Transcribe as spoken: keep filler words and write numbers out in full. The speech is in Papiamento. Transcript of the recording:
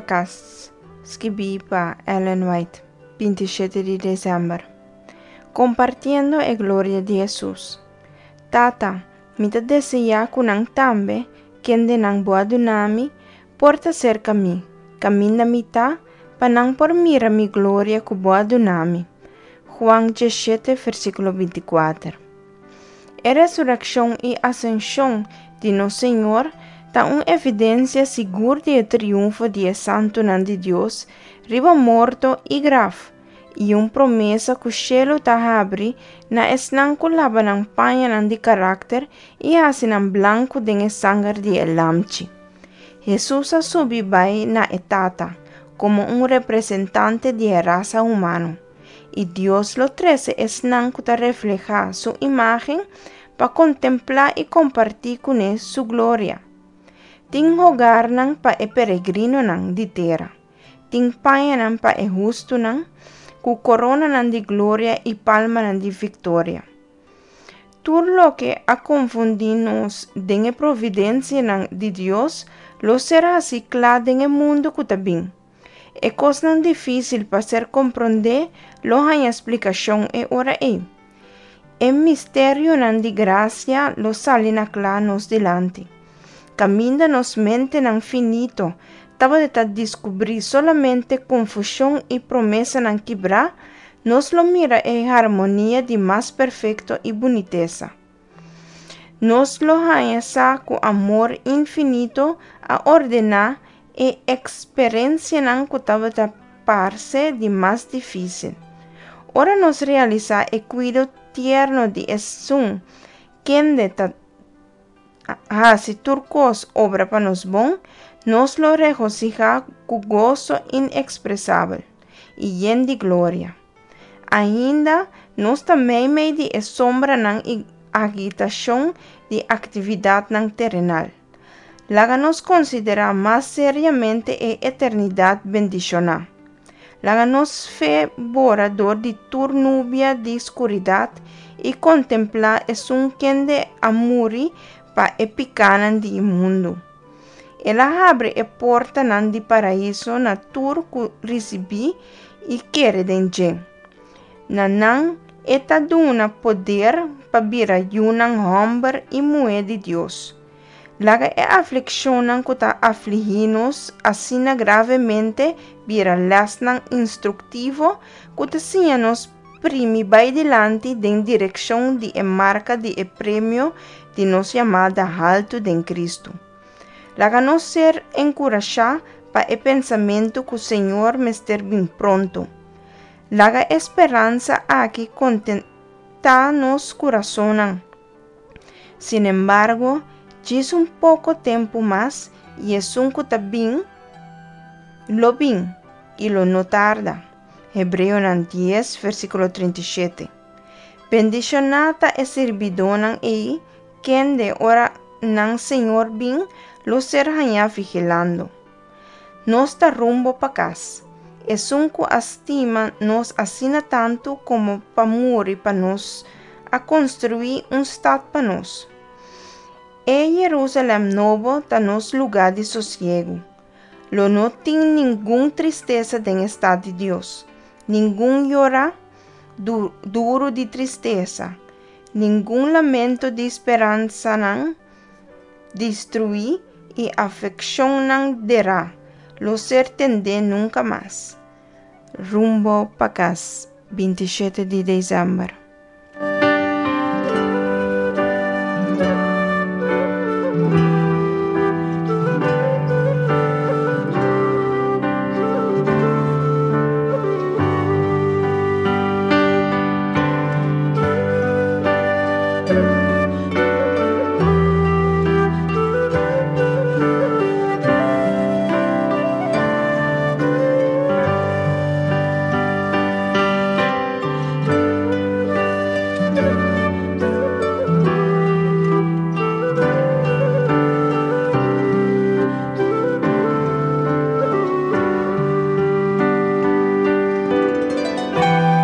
Pa Kas, skibí pa Ellen White, binti shete di desèmber. Kompartiendo e gloria di Hesus. Tata, mi ta deseá ku nan tambe, kendenan bo a duna mi, por ta serka mi, kaminda mi ta, pa nan por mira mi gloria ku bo a duna mi. Juan diesshete, versíkulo binti kuater. E resurekshon i asenshon di nos Señor ta un evidensia sigur di e triunfo di e santunan di Dios riba morto i graf, i un promesa ku shelu ta habri na esnan ku laba nan pañanan di karakter i hasi nan blanku den e sanger di e Lamchi. Hesus a subi bai na e Tata komo un representante di e rasa humano, i Dios lo trese esnan ku ta reflehá su imágen pa kontemplá i kompartí kuné su gloria. Tin hogarnan pa e peregrinonan di tera, tin pañanan pa e hustunan, ku koronanan di gloria i palmanan di viktoria. Tur loke a konfundí nos den e providensianan di Dios lo ser hasí kla den e mundu ku ta bin. E kosnan difísil pa ser komprondé lo haña splikashon e ora ei. E misterionan di grasia lo sali na kla nos dilanti. Kaminda nos mentenan finito tabata diskubrí solamente konfushon i promesanan kibrá, nos lo mira e harmonia di mas perfekto i bunitesa. Nos lo haña sa ku amor infinito a ordená e eksperensianan ku tabata parse di mas difísil. Ora nos realisá e kuido tierno di Esun kende ta hasi tur kos obra pa nos bon, nos lo regosihá ku goso inekspresabel i yen di gloria. Ainda nos ta meimei di e sombranan i agitashon di aktividatnan terenal. Laga nos konsiderá mas seriamente e eternidat bendishoná. Laga nos fe bora dor di tur nubia di skuridat i kontemplá esun kende a muri pa e pikánan di mundu. El a habri e portanan di paraiso na tur ku risibí i kere den dje. Na nan e ta duna poder pa bira yunan hòmber i muhé di Dios. Laga e aflikshonnan ku ta aflihí nos asina gravemente bira lèsnan instruktivo ku ta siña nos primi bai dilanti den direkshon di e marka di e premio di nos yamada haltu den Kristu. Laga nos ser enkurashá pa e pensamentu ku Señor mester bin pronto. Laga e speransa aki kontentá nos kurasonnan. Sinembargo, djis un poko tempu mas i esun ku ta bin lo bin i lo no tarda. Hebreonan dies, versíkulo trinta i shete. Bendishoná ta e sirbidónan ei, kende ora nan Señor bin lo ser hañá vigilando. Nos ta rumbo pa kas. Esun ku a stima nos asina tantu komo pa muri pa nos, a konstruí un stat pa nos. E Jerusalèm nobo ta nos lugá di sosiegu. Lo no tin ningun tristesa den e stat di Dios, ningun yora duru di tristesa, ningun lamento di speransanan destruí i afekshonnan derá lo ser tendé nunka mas. Rumbo pa kas, binti shete di desèmber.